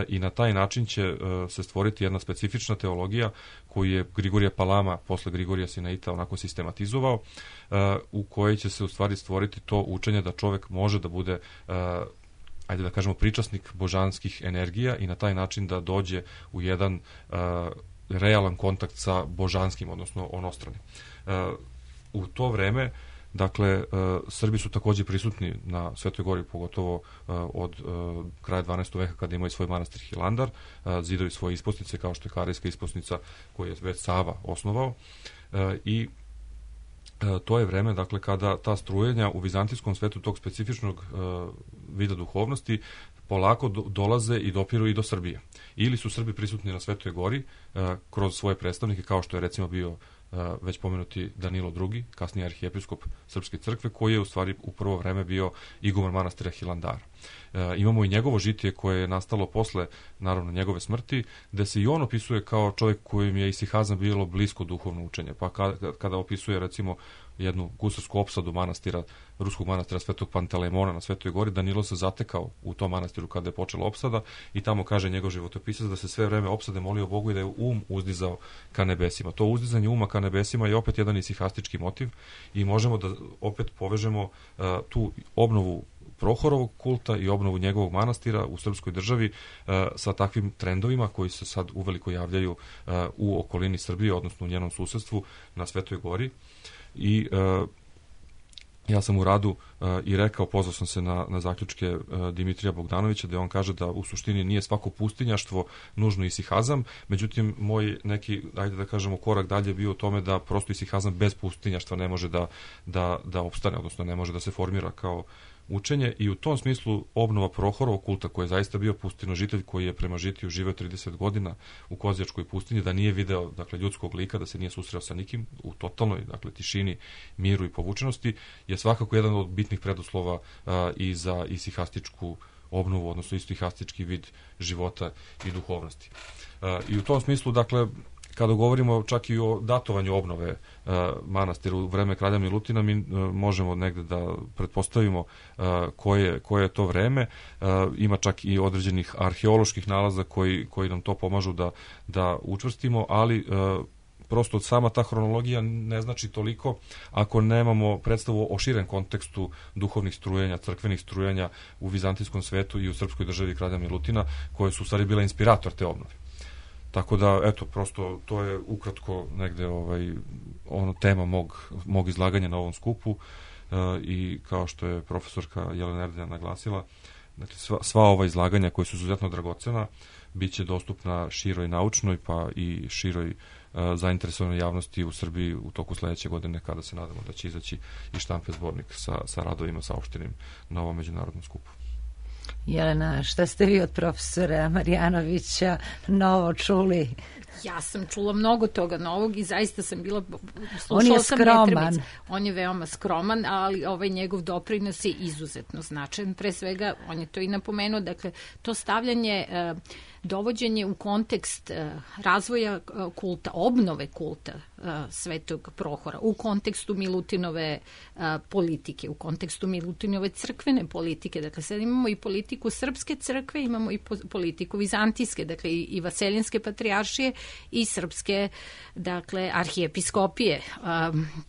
i na taj način će se stvoriti jedna specifična teologija koju je Grigorije Palama posle Grigorija Sinaita onako sistematizovao, u kojoj će se u stvari stvoriti to učenje da čovek može da bude, ajde da kažemo, pričasnik božanskih energija i na taj način da dođe u jedan realan kontakt sa božanskim, odnosno onostranim. U to vreme, dakle, Srbi su takođe prisutni na Svetoj Gori, pogotovo od kraja 12. veka, kada imaju svoj manastir Hilandar, zidaju svoje isposnice, kao što je Karejska isposnica koju je već Sava osnovao, i to je vreme, dakle, kada ta strujenja u vizantijskom svetu tog specifičnog vida duhovnosti polako dolaze i dopiru i do Srbije. Ili su Srbi prisutni na Svetoj Gori kroz svoje predstavnike, kao što je recimo bio već pomenuti Danilo II, kasnije arhijepiskop Srpske crkve, koji je u stvari u prvo vreme bio iguman manastira Hilandara. Imamo i njegovo žitije koje je nastalo posle, naravno, njegove smrti, gde se i on opisuje kao čovjek kojim je isihazam bilo blisko duhovno učenje. Pa kada opisuje, recimo, jednu gusarsku opsadu manastira, ruskog manastira Svetog Pantelemona na Svetoj gori, Danilo se zatekao u tom manastiru kada je počela opsada i tamo kaže njegov životopisac da se sve vreme opsade molio Bogu i da je uzdizao ka nebesima. To uzdizanje uma ka nebesima je opet jedan isihastički motiv i možemo da opet povežemo tu obnovu Prohorovog kulta i obnovu njegovog manastira u srpskoj državi sa takvim trendovima koji se sad uveliko javljaju u okolini Srbije, odnosno u njenom susedstvu na Svetoj gori. I ja sam u radu i rekao, pozvao sam se na zaključke Dimitrija Bogdanovića, da on kaže da u suštini nije svako pustinjaštvo nužno isihazam, međutim moj neki, ajde da kažemo, korak dalje bio u tome da prosto isihazam bez pustinjaštva ne može da opstane, odnosno ne može da se formira kao učenje, i u tom smislu obnova Prohorovog kulta, koji je zaista bio pustinožitelj, koji je prema žitiju živeo 30 godina u Kozjačkoj pustinji, da nije video, dakle, ljudskog lika, da se nije susreo sa nikim, u totalnoj, dakle, tišini, miru i povučenosti, je svakako jedan od bitnih preduslova i za isihastičku obnovu, odnosno istihastički vid života i duhovnosti. I u tom smislu, dakle, kada govorimo čak i o datovanju obnove manastira u vreme kralja Milutina, mi možemo negde da pretpostavimo koje je to vreme. Ima čak i određenih arheoloških nalaza koji nam to pomažu da učvrstimo, ali prosto sama ta hronologija ne znači toliko ako nemamo predstavu o širem kontekstu duhovnih strujenja, crkvenih strujenja u vizantijskom svetu i u srpskoj državi kralja Milutina, koje su u stvari bila inspirator te obnove. Tako da, eto, prosto to je ukratko negde tema mog izlaganja na ovom skupu i kao što je profesorka Jelena Erdija naglasila, dakle, sva ova izlaganja koja su izuzetno dragocena bit će dostupna široj naučnoj pa i široj zainteresovanoj javnosti u Srbiji u toku sledeće godine, kada se nadamo da će izaći i štampe zbornik sa radovima saopštenim na ovom međunarodnom skupu. Jelena, šta ste vi od profesora Marjanovića novo čuli? Ja sam čula mnogo toga novog i zaista sam bila... On je skroman. On je veoma skroman, ali njegov doprinos je izuzetno značajan. Pre svega, on je to i napomenuo, dakle, to stavljanje, dovođenje u kontekst razvoja kulta, obnove kulta Svetog Prohora, u kontekstu Milutinove politike, u kontekstu Milutinove crkvene politike. Dakle, sad imamo i politiku srpske crkve, imamo i politiku vizantijske, dakle, i vaseljenske patrijaršije i srpske, dakle, arhijepiskopije.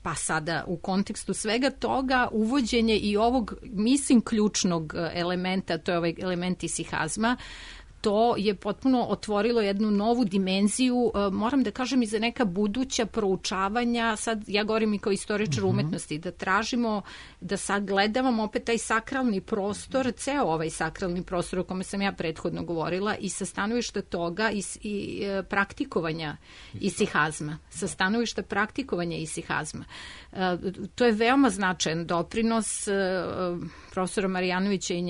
Pa sada u kontekstu svega toga uvođenje i ovog, mislim, ključnog elementa, to je ovaj element isihazma, to je potpuno otvorilo jednu novu dimenziju, moram da kažem, i za neka buduća proučavanja, sad ja govorim i kao istoričar umetnosti, da tražimo, da sagledavamo opet taj sakralni prostor, ceo ovaj sakralni prostor o kome sam ja prethodno govorila, i sa stanovišta toga i praktikovanja isihazma, sa stanovišta praktikovanja isihazma. To je veoma značajan doprinos profesora Marjanovića i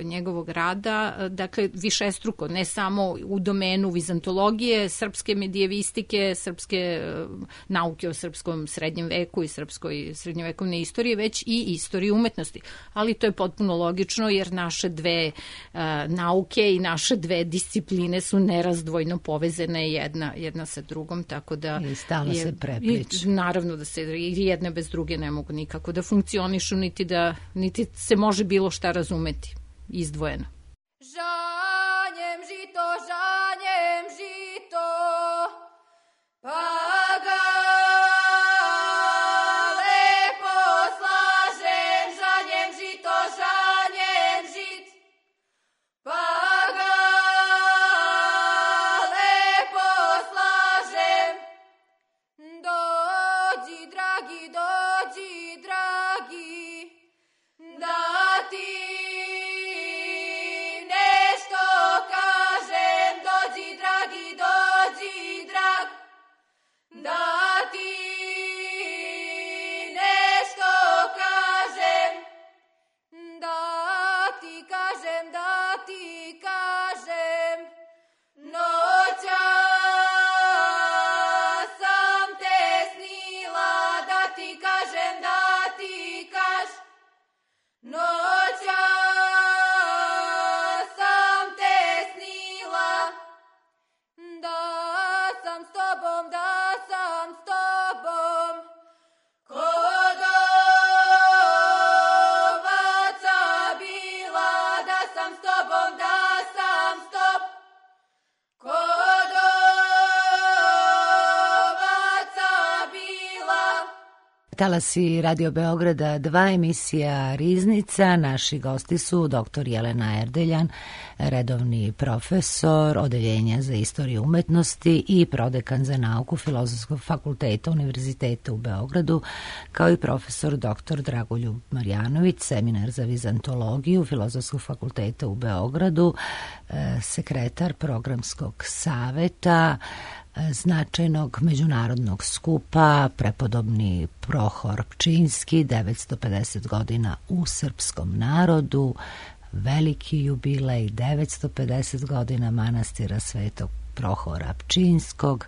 njegovog rada, dakle, višestruko, ne samo u domenu vizantologije, srpske medijevistike, srpske nauke o srpskom srednjem veku i srpskoj srednjovekovne istorije, već i istorije umetnosti. Ali to je potpuno logično, jer naše dve nauke i naše dve discipline su nerazdvojno povezane jedna sa drugom, tako da... I stalno se prepliču. Naravno da se jedne bez druge ne mogu nikako da funkcionišu, niti se može bilo šta razumeti izdvojeno. Žanjem žito, pa ga lepo slažem. Žanjem žit, pa ga lepo slažem. Dođi, dragi, da ti da ti nešto kažem, da ti kažem, noća sam te snila, da ti Talasi Radio Beograda 2, emisija Riznica. Naši gosti su dr. Jelena Erdeljan, redovni profesor Odeljenja za istoriju umetnosti i prodekan za nauku Filozofskog fakulteta Univerziteta u Beogradu, kao i profesor dr. Dragoljub Marjanović, seminar za vizantologiju Filozofskog fakulteta u Beogradu, sekretar programskog saveta značajnog međunarodnog skupa Prepodobni Prohor Pčinjski, 950 godina u srpskom narodu, veliki jubilej, 950 godina manastira Svetog Prohora Pčinjskog,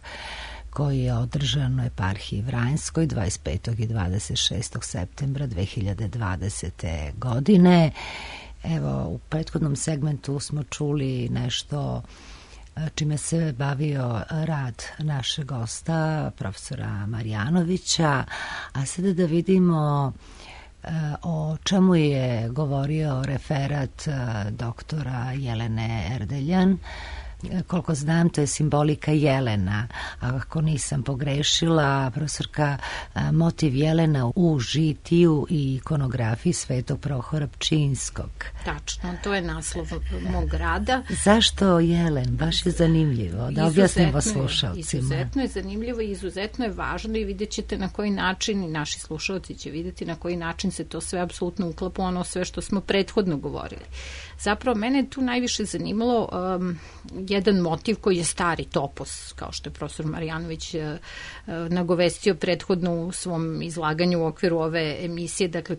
koji je održan u eparhiji Vranjskoj 25. i 26. septembra 2020. godine. Evo, u prethodnom segmentu smo čuli nešto čime se bavio rad našeg gosta, profesora Marjanovića, a sada da vidimo o čemu je govorio referat doktora Jelene Erdeljan. Koliko znam, to je simbolika jelena. Ako nisam pogrešila, profesorka, motiv jelena u žitiju i ikonografiji Svetog Prohora Pčinjskog. Tačno, to je naslov mog rada. Zašto jelen? Baš je zanimljivo. Da objasnimo slušalcima. Izuzetno je zanimljivo i izuzetno je važno i vidjet ćete na koji način, i naši slušalci će vidjeti na koji način se to sve apsolutno uklapa ono sve što smo prethodno govorili. Zapravo, mene je tu najviše zanimalo jedan motiv koji je stari topos, kao što je profesor Marjanović nagovestio prethodno u svom izlaganju u okviru ove emisije. Dakle,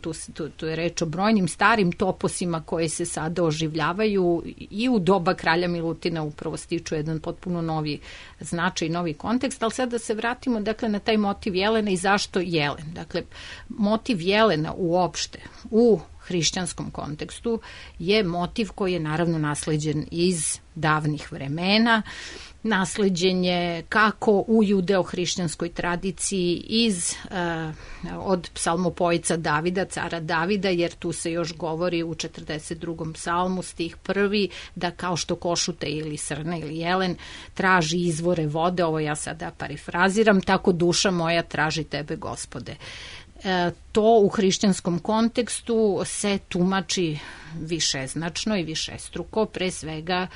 tu je reč o brojnim starim toposima koji se sada oživljavaju i u doba kralja Milutina upravo stiču jedan potpuno novi značaj, novi kontekst, ali sad da se vratimo dakle, na taj motiv jelena i zašto jelen. Dakle, motiv jelena uopšte u hrišćanskom kontekstu je motiv koji je naravno nasleđen iz davnih vremena, nasleđen je kako u judeo-hrišćanskoj tradiciji od psalmopojica Davida, cara Davida, jer tu se još govori u 42. psalmu stih 1. da kao što košute ili srna ili jelen traži izvore vode, ovo ja sada parifraziram, tako duša moja traži tebe, Gospode. To u hrišćanskom kontekstu se tumači višeznačno i višestruko, pre svega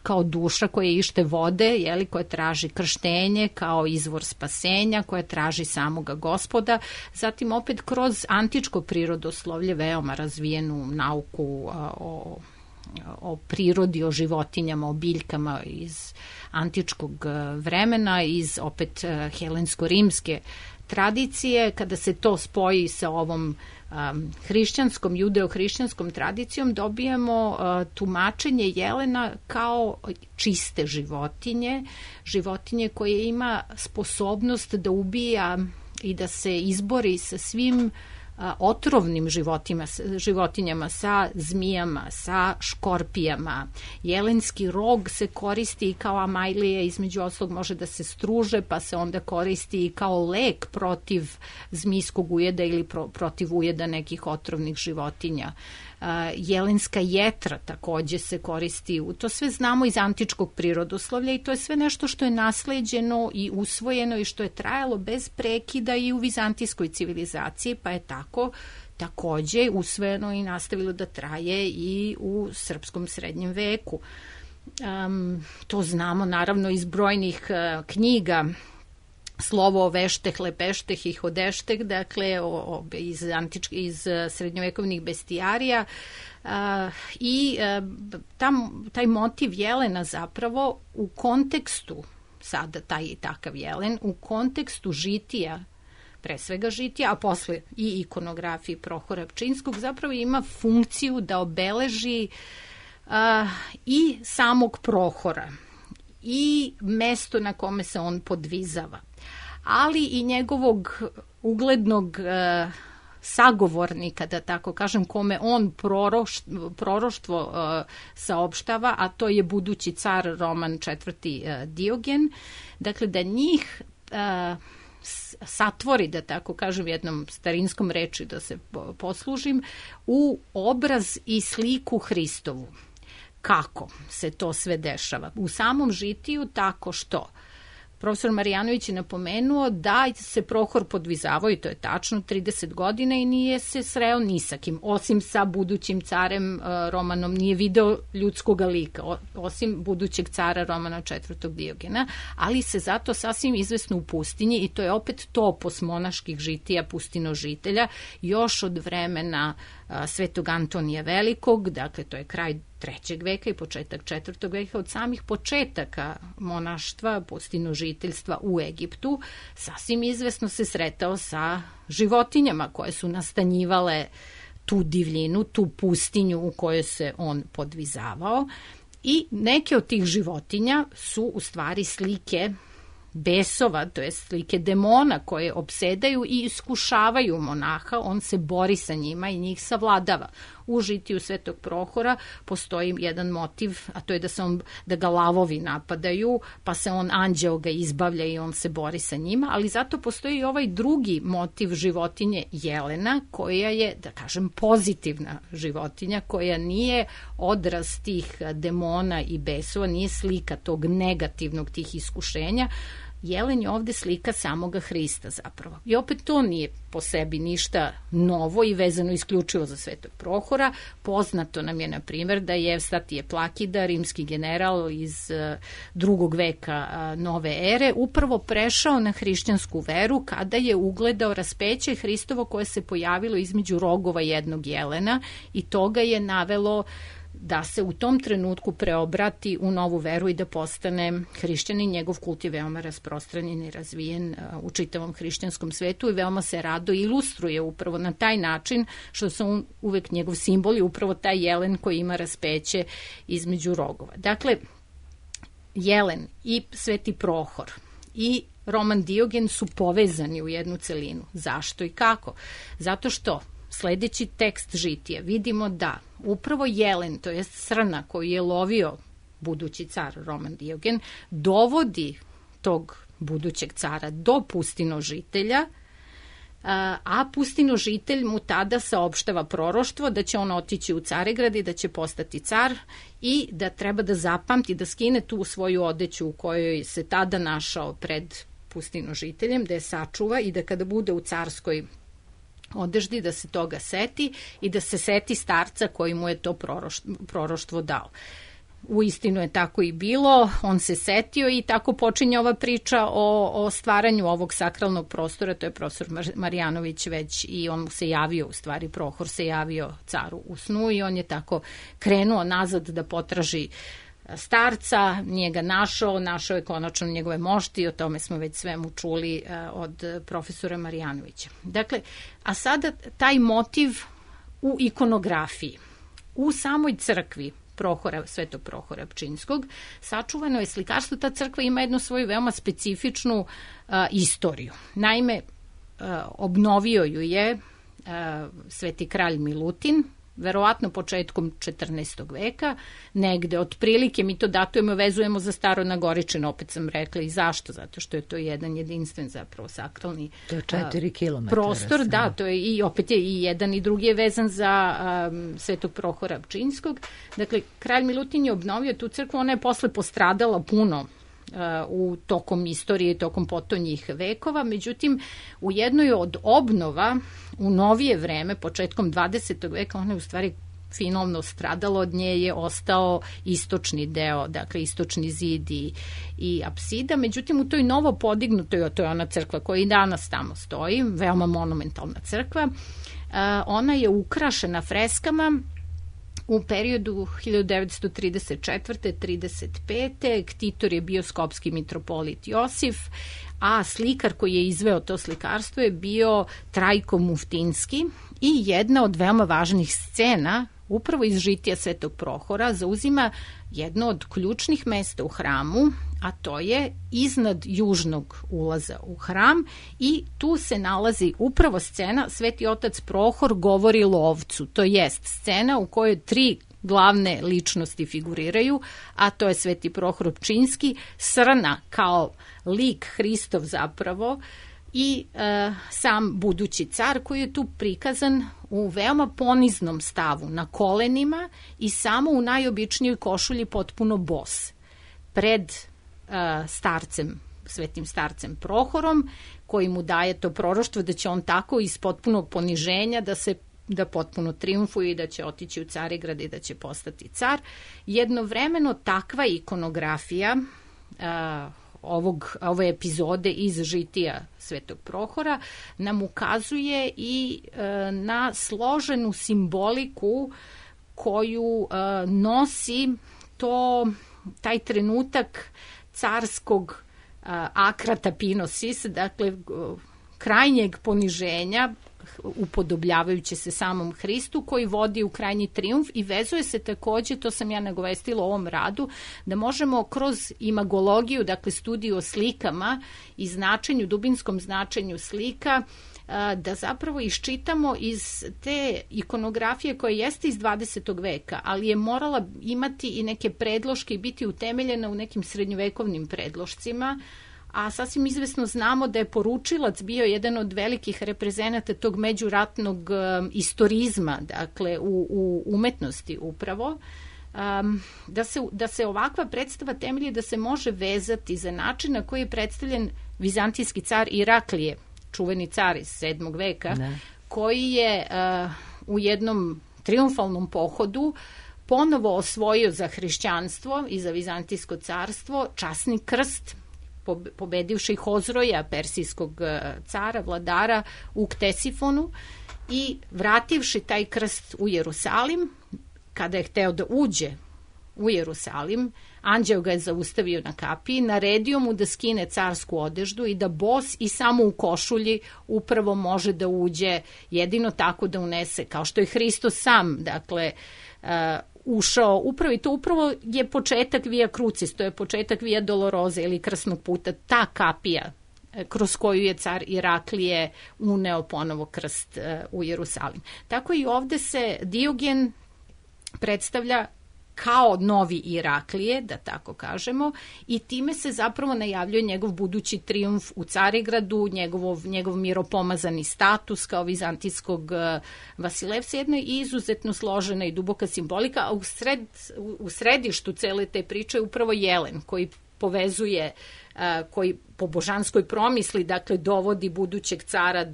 kao duša koja ište vode, koja traži krštenje, kao izvor spasenja, koja traži samoga Gospoda. Zatim opet kroz antičko prirodoslovlje, veoma razvijenu nauku o prirodi, o životinjama, o biljkama iz antičkog vremena, iz opet helensko-rimske tradicije, kada se to spoji sa ovom hrišćanskom, judeo-hrišćanskom tradicijom, dobijamo tumačenje jelena kao čiste životinje koje ima sposobnost da ubija i da se izbori sa svim otrovnim životinjama, sa zmijama, sa škorpijama. Jelenski rog se koristi kao amajlije, između ostalog može da se struže, pa se onda koristi kao lek protiv zmijskog ujeda ili protiv ujeda nekih otrovnih životinja. Jelenska jetra takođe se koristi, to sve znamo iz antičkog prirodoslovlja i to je sve nešto što je nasleđeno i usvojeno i što je trajalo bez prekida i u vizantijskoj civilizaciji, pa je tako takođe usvojeno i nastavilo da traje i u srpskom srednjem veku. To znamo naravno iz brojnih knjiga, Slovo o vešteh, lepešteh i hodešteh, dakle iz srednjovekovnih bestijarija i taj motiv jelena zapravo u kontekstu, sada taj takav jelen, u kontekstu žitija, pre svega žitija, a posle i ikonografiji Prohora Pčinjskog, zapravo ima funkciju da obeleži i samog Prohora i mesto na kome se on podvizava, ali i njegovog uglednog sagovornika, da tako kažem, kome on proroštvo saopštava, a to je budući car Roman IV. Diogen. Dakle, da njih satvori, da tako kažem, jednom starinskom reči da se poslužim, u obraz i sliku Hristovu. Kako se to sve dešava? U samom žitiju tako što profesor Marjanović je napomenuo da se Prohor podvizavao, i to je tačno, 30 godina i nije se sreo ni sa kim, osim sa budućim carem Romanom, nije video ljudskog lika, osim budućeg cara Romana IV. Diogena, ali se zato sasvim izvesno u pustinji, i to je opet topos monaških žitija pustinožitelja, još od vremena Svetog Antonija Velikog, dakle to je kraj 3. veka i početak 4. veka, od samih početaka monaštva, pustinožiteljstva u Egiptu, sasvim izvesno se sretao sa životinjama koje su nastanjivale tu divljinu, tu pustinju u kojoj se on podvizavao, i neke od tih životinja su u stvari slike besova, to je slike demona koje opsedaju i iskušavaju monaha, on se bori sa njima i njih savladava. U žitiju Svetog Prohora postoji jedan motiv, a to je da ga lavovi napadaju, pa se on, anđeo ga izbavlja i on se bori sa njima, ali zato postoji i ovaj drugi motiv životinje jelena, koja je, da kažem, pozitivna životinja, koja nije odraz tih demona i besova, nije slika tog negativnog, tih iskušenja. Jelen je ovde slika samoga Hrista zapravo. I opet to nije po sebi ništa novo i vezano isključivo za Svetog Prohora. Poznato nam je, na primjer, da je Evstatije Plakida, rimski general iz 2. veka nove ere, upravo prešao na hrišćansku veru kada je ugledao raspeće Hristovo koje se pojavilo između rogova jednog jelena, i to ga je navelo da se u tom trenutku preobrati u novu veru i da postane hrišćanin. Njegov kult je veoma rasprostranjen i razvijen u čitavom hrišćanskom svetu i veoma se rado ilustruje upravo na taj način, što su uvek njegov simbol i upravo taj jelen koji ima raspeće između rogova. Dakle, jelen i Sveti Prohor i Roman Diogen su povezani u jednu celinu. Zašto i kako? Zato što sledeći tekst žitija vidimo da upravo jelen, to je srna koju je lovio budući car Roman Diogen, dovodi tog budućeg cara do pustinožitelja, a pustinožitelj mu tada saopštava proroštvo da će on otići u Caregrad i da će postati car i da treba da zapamti, da skine tu svoju odeću u kojoj se tada našao pred pustinožiteljem, da je sačuva i da kada bude u carskoj odeždi da se toga seti i da se seti starca koji mu je to proroštvo dao. Uistinu je tako i bilo, on se setio i tako počinje ova priča o stvaranju ovog sakralnog prostora, to je profesor Marjanović već, i on mu se javio, u stvari Prohor se javio caru u snu i on je tako krenuo nazad da potraži starca, nije ga našao je konačno njegove mošti, o tome smo već svemu čuli od profesora Marjanovića. Dakle, a sada taj motiv u ikonografiji, u samoj crkvi Svetog Prohora Pčinjskog, sačuvano je slikarstvo. Ta crkva ima jednu svoju veoma specifičnu istoriju. Naime, obnovio ju je Sveti kralj Milutin, verovatno početkom 14. veka, negde otprilike, mi to datujemo, vezujemo za Staro-Nagoričan, opet sam rekla i zašto, zato što je to jedan jedinstven zapravo sakralni to je 4 kilometra prostor, da, to je i opet je i jedan i drugi je vezan za Svetog Prohora Pčinjskog. Dakle, kralj Milutin je obnovio tu crkvu, ona je posle postradala puno u tokom istorije, tokom potonjih vekova, međutim u jednoj od obnova u novije vreme, početkom 20. veka, ona je u stvari finalno stradalo, od nje je ostao istočni deo, dakle istočni zid i apsida, međutim u toj novo podignutoj, to je ona crkva koja i danas tamo stoji, veoma monumentalna crkva, ona je ukrašena freskama u periodu 1934-35. Ktitor je bio skopski mitropolit Josif, a slikar koji je izveo to slikarstvo je bio Trajko Muftinski i jedna od veoma važnih scena upravo iz žitija Svetog Prohora zauzima jedno od ključnih mesta u hramu, a to je iznad južnog ulaza u hram i tu se nalazi upravo scena Sveti otac Prohor govori lovcu, to jest scena u kojoj 3 glavne ličnosti figuriraju, a to je Sveti Prohor Pčinjski, srna kao lik Hristov zapravo i sam budući car koji je tu prikazan u veoma poniznom stavu, na kolenima i samo u najobičnijoj košulji potpuno bos, pred starcem svetim starcem Prohorom, koji mu daje to proroštvo da će on tako iz potpunog poniženja da potpuno triumfuje i da će otići u Carigrad i da će postati car. Jednovremeno takva ikonografija ove epizode iz žitija Svetog Prohora nam ukazuje i na složenu simboliku koju nosi taj trenutak carskog acra tapinosis, dakle krajnjeg poniženja, upodobljavajući se samom Hristu, koji vodi u krajnji trijumf i vezuje se takođe, to sam ja nagovestila u ovom radu, da možemo kroz imagologiju, dakle studiju o slikama i dubinskom značenju slika, da zapravo iščitamo iz te ikonografije koja jeste iz 20. veka, ali je morala imati i neke predloške i biti utemeljena u nekim srednjovekovnim predlošcima, a sasvim izvesno znamo da je poručilac bio jedan od velikih reprezenata tog međuratnog istorizma, dakle u umetnosti upravo, da se ovakva predstava temelji da se može vezati za način na koji je predstavljen vizantijski car Iraklije, čuveni car iz 7. veka, koji je u jednom triumfalnom pohodu ponovo osvojio za hrišćanstvo i za vizantijsko carstvo časni krst, pobedivši Hozroja, persijskog cara, vladara u Ktesifonu, i vrativši taj krst u Jerusalim. Kada je hteo da uđe u Jerusalim, anđeo ga je zaustavio na kapiji, naredio mu da skine carsku odeždu i da bos i samo u košulji upravo može da uđe, jedino tako da unese, kao što je Hristos sam, dakle, ušao upravo, i to upravo je početak Via Crucis, to je početak Via Doloroze ili krsnog puta, ta kapija kroz koju je car Iraklije uneo ponovo krst u Jerusalim. Tako i ovde se Diogen predstavlja kao novi Iraklije, da tako kažemo, i time se zapravo najavljuje njegov budući trijumf u Carigradu, njegov miropomazani status kao vizantijskog Vasilevsa, jedna izuzetno složena i duboka simbolika, a u središtu cele te priče je upravo Jelen, koji povezuje, koji po božanskoj promisli, dakle, dovodi budućeg cara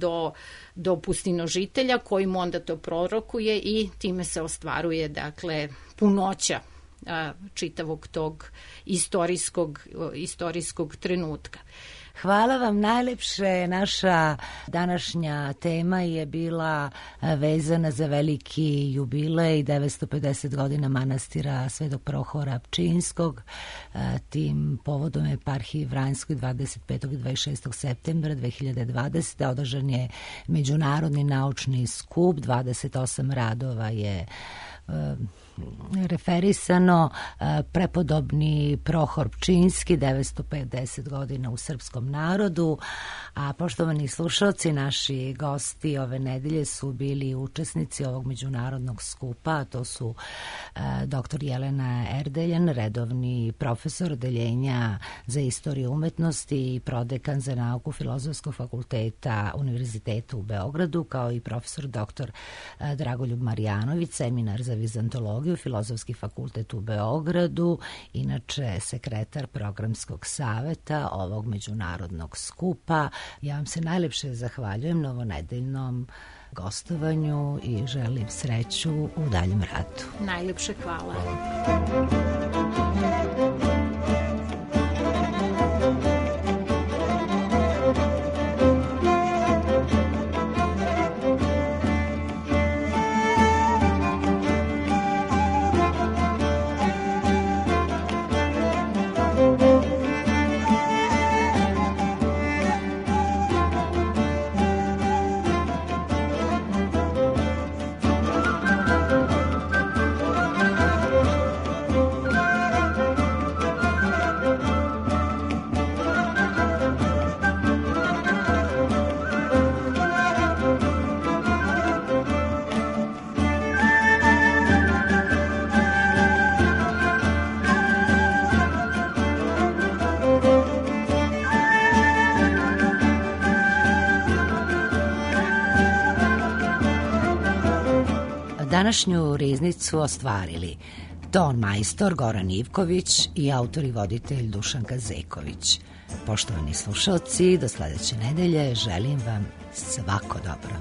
do pustinožitelja, koji mu onda to prorokuje i time se ostvaruje, dakle, punoća čitavog tog istorijskog trenutka. Hvala vam najlepše. Naša današnja tema je bila vezana za veliki jubilej 950 godina manastira Svetog Prohora Pčinjskog. Tim povodom eparhiji Vranjskoj 25. i 26. septembra 2020. održan je međunarodni naučni skup, 28 radova je referisano. Prepodobni Prohor Pčinjski, 950 godina u srpskom narodu. A poštovani slušalci, naši gosti ove nedelje su bili učesnici ovog međunarodnog skupa. To su dr. Jelena Erdeljan, redovni profesor odeljenja za istoriju umetnosti i prodekan za nauku Filozofskog fakulteta Univerziteta u Beogradu, kao i profesor dr. Dragoljub Marjanović, seminar za vizantologiju, Filozofski fakultet u Beogradu, inače sekretar programskog saveta ovog međunarodnog skupa. Ja vam se najlepše zahvaljujem na novonedeljnom gostovanju i želim sreću u daljem radu. Najlepše hvala. Današnju riznicu ostvarili ton majstor Goran Ivković i autor i voditelj Dušanka Zeković. Poštovani slušalci, do sledeće nedelje želim vam svako dobro.